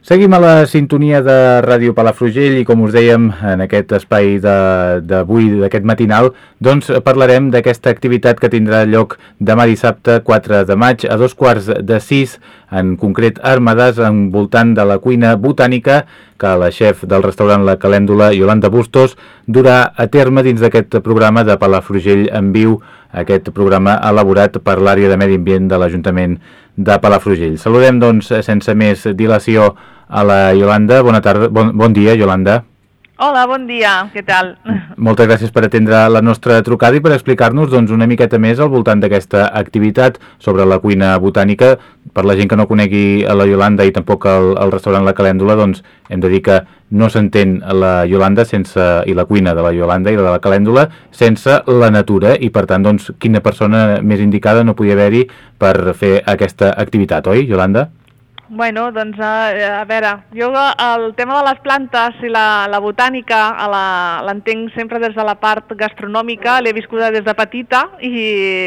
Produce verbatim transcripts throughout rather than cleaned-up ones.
Seguim a la sintonia de Ràdio Palafrugell i, com us dèiem, en aquest espai d'avui, d'aquest matinal, doncs parlarem d'aquesta activitat que tindrà lloc demà dissabte quatre de maig a dos quarts de sis, en concret a Ermedàs, envoltant de la cuina botànica que la xef del restaurant La Calèndula, Iolanda Bustos, durà a terme dins d'aquest programa de Palafrugell en viu, aquest programa elaborat per l'àrea de Medi Ambient de l'Ajuntament de Palafrugell. Saludem, doncs, sense més dilació, a la Iolanda. Bona tarda, bon, bon dia, Iolanda. Hola, bon dia, què tal? Moltes gràcies per atendre la nostra trucada i per explicar-nos doncs, una miqueta més al voltant d'aquesta activitat sobre la cuina botànica. Per la gent que no conegui a la Iolanda i tampoc el, el restaurant La Calèndula, doncs hem de dir que no s'entén la Iolanda sense, i la cuina de la Iolanda i de la Calèndula sense la natura, i per tant, doncs, quina persona més indicada no podia haver-hi per fer aquesta activitat, oi, Iolanda? Bueno, doncs, a, a veure, jo el tema de les plantes i la, la botànica l'entenc sempre des de la part gastronòmica, l'he viscuda des de petita i,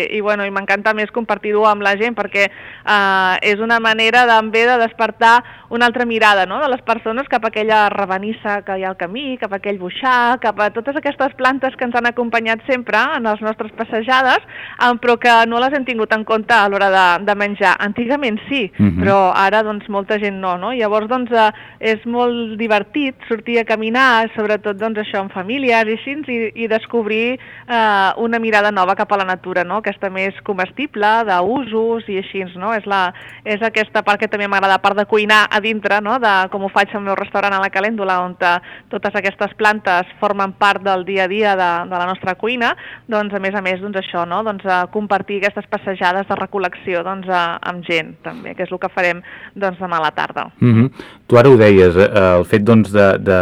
i, bueno, i m'encanta més compartir-ho amb la gent perquè eh, és una manera també de despertar una altra mirada, no?, de les persones cap a aquella rabanissa que hi ha al camí, cap a aquell boixar, cap a totes aquestes plantes que ens han acompanyat sempre en les nostres passejades, eh, però que no les hem tingut en compte a l'hora de, de menjar. Antigament sí, uh-huh. però ara doncs molta gent no, no? Llavors doncs eh, és molt divertit sortir a caminar, sobretot doncs això amb famílies i així, i, i descobrir eh, una mirada nova cap a la natura, no?, aquesta més comestible, d'usos i així, no? És, la, és aquesta part que també m'agrada, a part de cuinar a dintre, no?, de com ho faig al meu restaurant a La Calèndula, on totes aquestes plantes formen part del dia a dia de, de la nostra cuina, doncs a més a més doncs això, no?, doncs a compartir aquestes passejades de recol·lecció doncs a, amb gent també, que és el que farem doncs demà a la tarda. Mm-hmm. Tu ara ho deies, eh, el fet doncs de, de,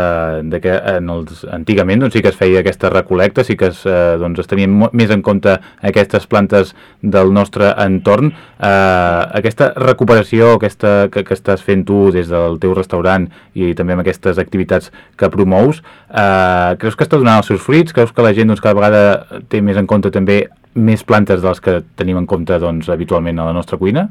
de que en els, antigament doncs sí que es feia aquesta recol·lecta, sí que es, eh, doncs, es tenien més en compte aquestes plantes del nostre entorn. Eh, aquesta recuperació aquesta, que, que estàs fent tu des del teu restaurant i també amb aquestes activitats que promous, eh, creus que està donant els seus fruits? Creus que la gent doncs, cada vegada té més en compte també més plantes de les que tenim en compte doncs, habitualment a la nostra cuina?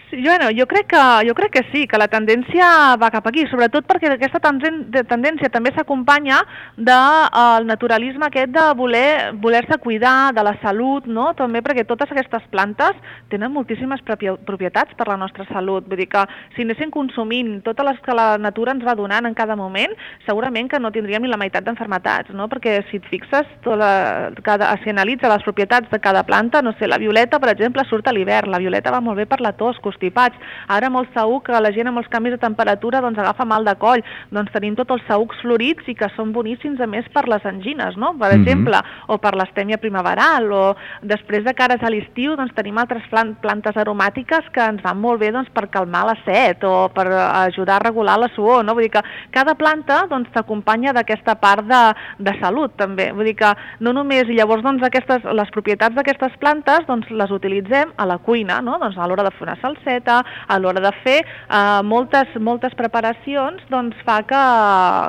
Sí, bueno, jo crec que jo crec que sí, que la tendència va cap aquí, sobretot perquè aquesta tendència també s'acompanya del naturalisme aquest de voler voler-se cuidar de la salut, no? També perquè totes aquestes plantes tenen moltíssimes propietats per la nostra salut, vull dir que si anéssim consumint totes les que la natura ens va donant en cada moment, segurament que no tindríem ni la meitat d'enfermetats, no? Perquè si et fixes, tota, cada, si analitza les propietats de cada planta, no sé, la violeta, per exemple, surt a l'hivern, la violeta va molt bé per la tos, constipats. Ara molt segur que la gent amb els canvis de temperatura doncs agafa mal de coll, doncs tenim tots els saücs florits i que són boníssims a més per les angines, no?, per exemple, mm-hmm. o per l'astèmia primaveral, o després de cares a l'estiu doncs tenim altres plantes aromàtiques que ens van molt bé doncs per calmar la set o per ajudar a regular la suor, no? Vull dir que cada planta doncs t'acompanya d'aquesta part de, de salut també, vull dir que no només, i llavors doncs aquestes, les propietats d'aquestes plantes doncs les utilitzem a la cuina, no?, doncs a l'hora de fer una salseta, a l'hora de fer eh, moltes, moltes preparacions, doncs fa que,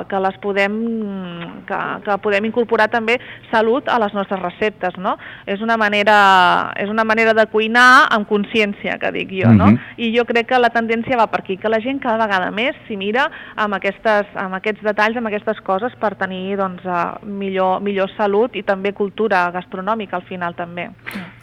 que les podem que, que podem incorporar també salut a les nostres receptes, no? És una manera, és una manera de cuinar amb consciència, que dic jo, no? Mm-hmm. I jo crec que la tendència va per aquí, que la gent cada vegada més s'hi mira amb, aquestes, amb aquests detalls, amb aquestes coses per tenir doncs, millor, millor salut i també cultura gastronòmica al final també.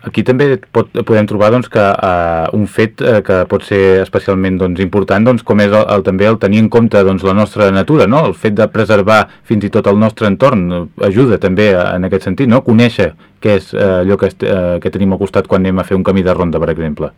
Aquí també pot, podem trobar doncs, que uh, un fet uh, que pot ser especialment doncs, important, doncs, com és el, el, també el tenir en compte doncs, la nostra natura, no? El fet de preservar fins i tot el nostre entorn ajuda també en aquest sentit, no? Conèixer què és uh, allò que, est, uh, que tenim al costat quan anem a fer un camí de ronda, per exemple.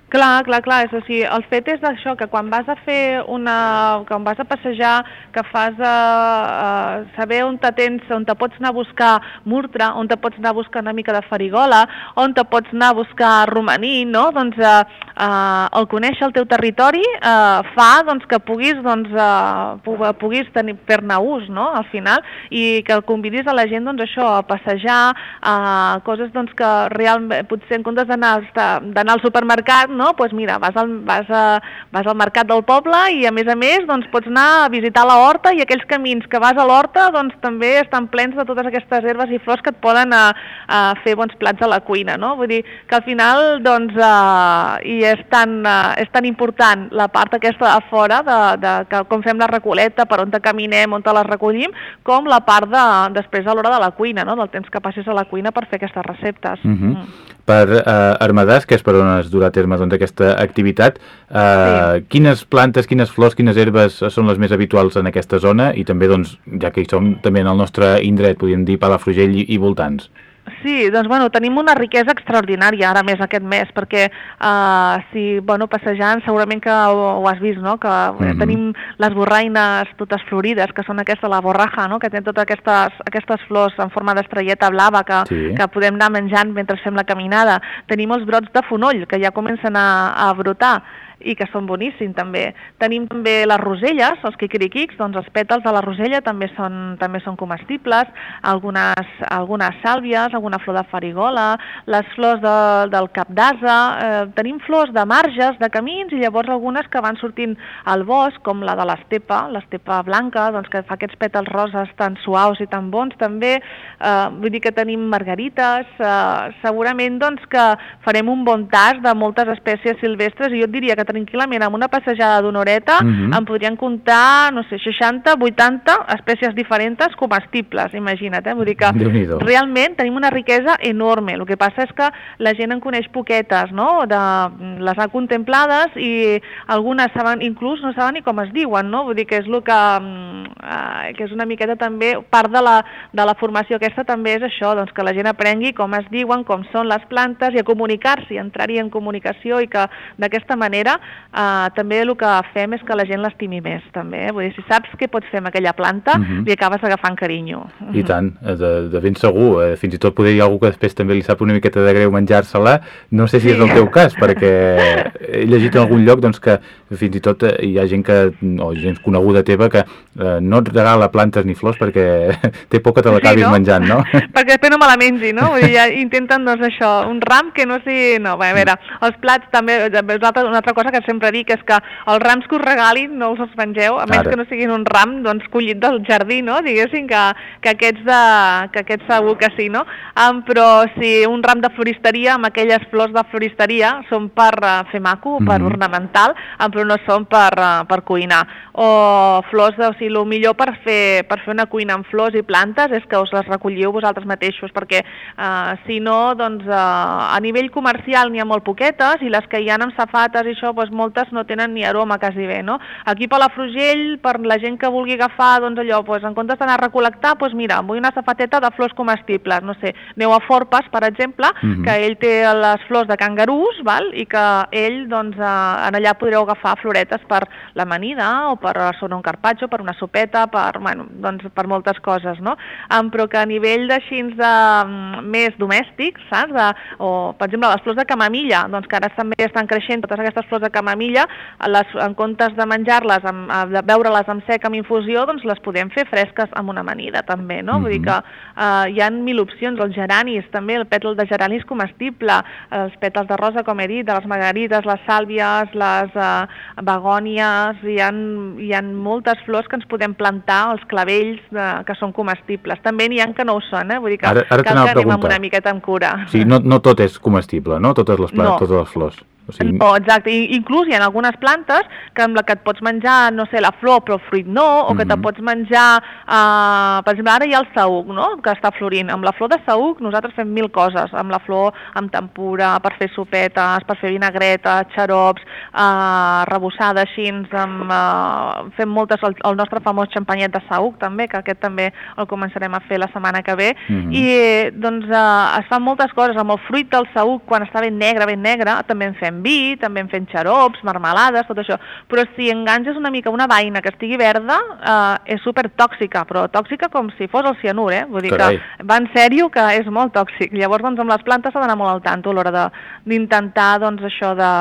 Clar, clar, clar, és així. El fet és això, que quan vas a fer una... quan vas a passejar, que fas a, a saber on te tens, on te pots anar a buscar murtre, on te pots anar a buscar una mica de farigola, on te pots anar a buscar romaní, no? Doncs eh, eh, el conèixer el teu territori eh, fa doncs, que puguis, doncs, eh, puguis tenir fer-ne ús, no? Al final, i que convidis a la gent doncs, això, a passejar, a coses doncs, que realment, potser en comptes d'anar al supermercat, no? Pues mira, vas al, vas, a, vas al mercat del poble i a més a més doncs, pots anar a visitar la horta i aquells camins que vas a l'horta doncs, també estan plens de totes aquestes herbes i flors que et poden a, a fer bons plats a la cuina, no? Vull dir que al final doncs, uh, i és, tan, uh, és tan important la part aquesta a fora de, de que, com fem la recoleta, per on te caminem, on te les recollim, com la part de, després a l'hora de la cuina, no? Del temps que passis a la cuina per fer aquestes receptes. Uh-huh. mm. Per uh, Ermedàs, que és per on es durà a terme doncs, aquesta activitat, uh, sí. quines plantes, quines flors, quines herbes són les més habituals en aquesta zona i també, doncs, ja que hi som també en el nostre indret, podríem dir Palafrugell i, i voltants? Sí, doncs bueno, tenim una riquesa extraordinària ara més aquest mes, perquè uh, si, bueno, passejant segurament que ho, ho has vist, no? Que mm-hmm. tenim les borraines totes florides, que són aquesta, la borraja, no? Que té totes aquestes, aquestes flors en forma d'estrelleta blava que, sí. que podem anar menjant mentre fem la caminada. Tenim els brots de fonoll, que ja comencen a, a brotar, i que són boníssims també. Tenim també les roselles, els quiquiriquics, doncs els pètals de la rosella també són, també són comestibles, algunes, algunes sàlvies, alguna flor de farigola, les flors de, del cap d'ase, eh, tenim flors de marges, de camins, i llavors algunes que van sortint al bosc, com la de l'estepa, l'estepa blanca, doncs que fa aquests pètals roses tan suaus i tan bons també, eh, vull dir que tenim margarites, eh, segurament doncs que farem un bon tast de moltes espècies silvestres, i jo et diria que tranquil·lament amb una passejada d'una horeta uh-huh. en podrien comptar, no sé, seixanta, vuitanta espècies diferents comestibles, imagina't, eh? Vull dir que realment tenim una riquesa enorme. El que passa és que la gent en coneix poquetes, no? De, les ha contemplades i algunes saben, inclús no saben ni com es diuen, no? Vull dir que és el que, eh, que és una miqueta també, part de la, de la formació aquesta també és això, doncs que la gent aprengui com es diuen, com són les plantes i a comunicar-s'hi, entrar-hi en comunicació, i que d'aquesta manera Uh, també el que fem és que la gent l'estimi més, també. Eh? Vull dir, si saps què pots fer amb aquella planta, uh-huh. li acabes agafant carinyo. I tant, de, de ben segur. Eh, fins i tot podria dir algú que després també li sap una miqueta de greu menjar-se-la. No sé si sí. és el teu cas, perquè he llegit en algun lloc doncs, que fins i tot hi ha gent que, o gent coneguda teva, que eh, no et regala plantes ni flors perquè té por que te l'acabis sí, no? menjant, no? Perquè després no me la mengi, no? Vull dir, ja intenten, doncs, això, un ram que no sigui... No, bé, a veure, els plats també, una altra, una altra cosa que sempre dic és que els rams que us regalin no us els mengeu, a menys Ara. que no siguin un ram doncs, collit del jardí, no? Diguéssim que, que, aquests de, que aquests segur que sí, no? Um, però si un ram de floristeria, amb aquelles flors de floristeria, són per uh, fer maco, mm-hmm. per ornamental, um, però no són per, uh, per cuinar. O flors, de, o sigui, el millor per fer, per fer una cuina amb flors i plantes és que us les recolliu vosaltres mateixos, perquè uh, si no, doncs, uh, a nivell comercial n'hi ha molt poquetes, i les que hi ha amb safates i això, doncs moltes no tenen ni aroma quasi bé, no? Aquí a Palafrugell, per la gent que vulgui agafar, doncs allò, doncs en comptes d'anar a recol·lectar, doncs mira, vull una safateta de flors comestibles, no sé, aneu a Forpes, per exemple, mm-hmm. que ell té les flors de cangarús, val? I que ell, doncs, eh, en allà podreu agafar floretes per l'amanida, o per sonar un carpaccio, per una sopeta, per, bueno, doncs, per moltes coses, no? Um, però que a nivell d'així de um, més domèstics, saps? De, o, per exemple, les flors de camamilla, doncs que ara també estan creixent totes aquestes flors de camamilla, les, en comptes de menjar-les, de beure-les amb sec amb infusió, doncs les podem fer fresques amb una amanida també, no? Mm-hmm. Vull dir que eh, hi ha mil opcions, els geranis també, el pètal de gerani és comestible, els pètals de rosa, com he dit, de les margarites, les sàlvies, les eh, begònies, hi ha, hi ha moltes flors que ens podem plantar, els clavells de, que són comestibles. També n'hi ha que no ho són, eh? Vull dir que ara, ara cal que anem amb una miqueta amb cura. Sí, no, no tot és comestible, no? Totes les plantes, no. totes les flors. O sigui... No, exacte, I, inclús hi ha algunes plantes que amb la que et pots menjar, no sé, la flor, però el fruit no, o que mm-hmm. te pots menjar, uh, per exemple, ara hi ha el saüc, no?, que està florint. Amb la flor de saüc nosaltres fem mil coses, amb la flor, amb tempura, per fer sopetes, per fer vinagretes, xarops, uh, rebossada així, amb, uh, fem moltes, el, el nostre famós xampanyet de saüc també, que aquest també el començarem a fer la setmana que ve, mm-hmm. i doncs uh, es fan moltes coses, amb el fruit del saüc, quan està ben negre, ben negre, també en fem vi, també en fem xarops, marmelades, tot això, però si enganges una mica una vaina que estigui verda, eh, és super tòxica, però tòxica com si fos el cianur, eh? Vull dir Carai. que va en sèrio que és molt tòxic. Llavors, doncs, amb les plantes s'ha d'anar molt al tanto a l'hora d'intentar, doncs, això de...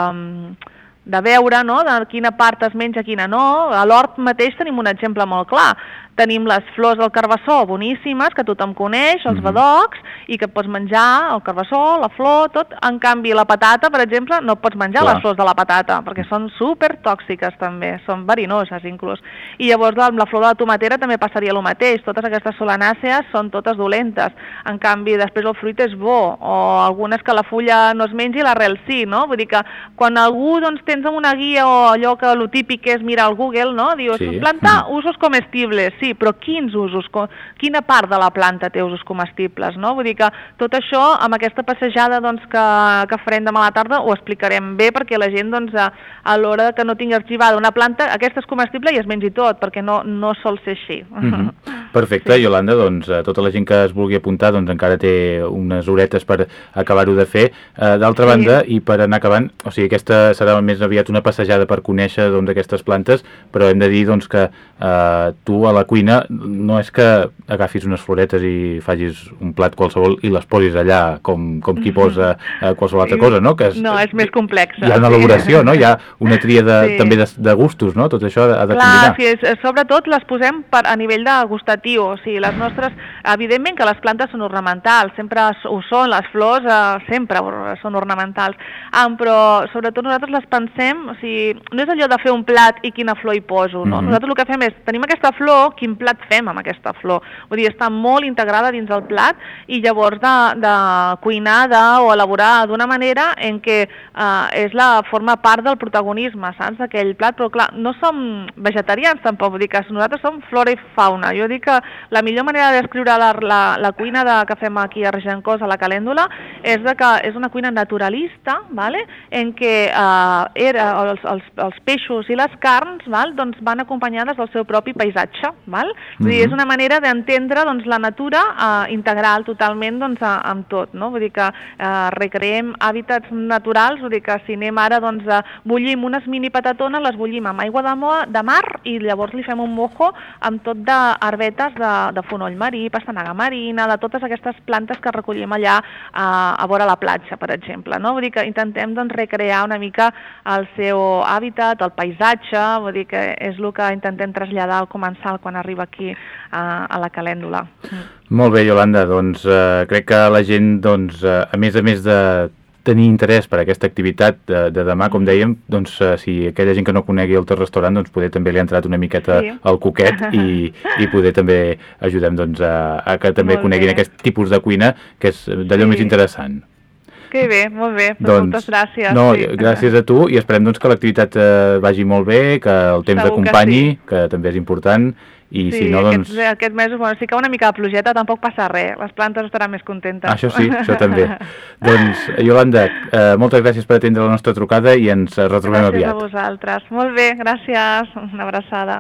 de veure, no?, de quina part es menja, quina no. A l'hort mateix tenim un exemple molt clar. Tenim les flors del carbassó boníssimes, que tothom coneix, els Mhm. badocs, i que pots menjar el carbassó, la flor, tot. En canvi, la patata, per exemple, no pots menjar Clar. les flors de la patata, perquè són supertòxiques també, són verinoses inclús. I llavors amb la flor de la tomatera també passaria el mateix, totes aquestes solanàcees són totes dolentes. En canvi, després el fruit és bo, o algunes que la fulla no es mengi i l'arrel sí, no? Vull dir que quan algú doncs, tens una guia o allò que el típic és mirar al Google, no? Dius, Sí. planta Mm. usos comestibles, sí, però quins usos? Co- Quina part de la planta té usos comestibles, no? Vull dir que tot això, amb aquesta passejada doncs, que, que farem demà a la tarda, ho explicarem bé perquè la gent, doncs, a, a l'hora que no tingui arxivada una planta, aquesta és comestible i es mengi tot, perquè no, no sol ser així. Mhm. Perfecte, sí. Iolanda, doncs eh, tota la gent que es vulgui apuntar doncs encara té unes horetes per acabar-ho de fer. Eh, D'altra Sí. banda, i per anar acabant, o sigui, aquesta serà més aviat una passejada per conèixer doncs, aquestes plantes, però hem de dir doncs, que eh, tu a la cuina no és que agafis unes floretes i facis un plat qualsevol i les posis allà com, com qui posa eh, qualsevol altra cosa, no? Que és, No, és més complex. hi ha una elaboració, no? Hi ha una tria de, Sí. també de, de gustos, no? Tot això ha de Clar, combinar. sí, és, sobretot les posem per, a nivell de gustatiu, o sigui, les nostres, evidentment que les plantes són ornamentals, sempre ho són, les flors eh, sempre són ornamentals, um, però sobretot nosaltres les pensem, o sigui, no és allò de fer un plat i quina flor hi poso, no? Mhm. Nosaltres el que fem és, tenim aquesta flor, quin plat fem amb aquesta flor? Vull dir, està molt integrada dins el plat i llavors de, de cuinar de, o elaborar d'una manera en què eh, és la forma part del protagonisme, saps, d'aquell plat, però clar, no som vegetarians tampoc, vull dir que nosaltres som flora i fauna. Jo dic que la millor manera de descriure la, la, la cuina de, que fem aquí a Regencós, a la Calèndula, és de que és una cuina naturalista, vale? En què eh, era, els, els, els peixos i les carns val? Doncs van acompanyades del seu propi paisatge. Val? Vull dir, és una manera d'entendre doncs, la natura eh, integral totalment doncs, a, amb tot. No? Vull dir que eh, recreem hàbitats naturals, vull dir que si anem ara doncs, a bullim unes mini patatones, les bullim amb aigua de, mo de mar i llavors li fem un mojo amb tot d'herbetes de, de fonoll marí, pastanaga marina, de totes aquestes plantes que recollim allà a, a vora la platja, per exemple. No? Vull dir que intentem doncs, recrear una mica el seu hàbitat, el paisatge, vull dir que és el que intentem traslladar al comensal quan arriba aquí a, a la Calèndula. Molt bé, Iolanda, doncs eh, crec que la gent, doncs, eh, a més a més de tenir interès per aquesta activitat de, de demà, com dèiem, doncs eh, si aquella gent que no conegui el teu restaurant, doncs poder també li ha entrat una miqueta Sí. al coquet i, i poder també ajudem doncs, a, a que també Molt coneguin bé. aquest tipus de cuina, que és d'allò Sí. més interessant. Que bé, molt bé, doncs, Doncs, moltes gràcies. no, sí. gràcies a tu i esperem doncs, que l'activitat eh, vagi molt bé, que el temps Segur que t'acompanyi, sí. que també és important, i Sí, si no, doncs... aquests, aquests mesos, bueno, sí que una mica de plogeta tampoc passa res, les plantes estaran més contentes. Això sí, això també. Doncs, Iolanda, eh, moltes gràcies per atendre la nostra trucada i ens retrobem Gràcies aviat. a vosaltres. Molt bé, gràcies. Una abraçada.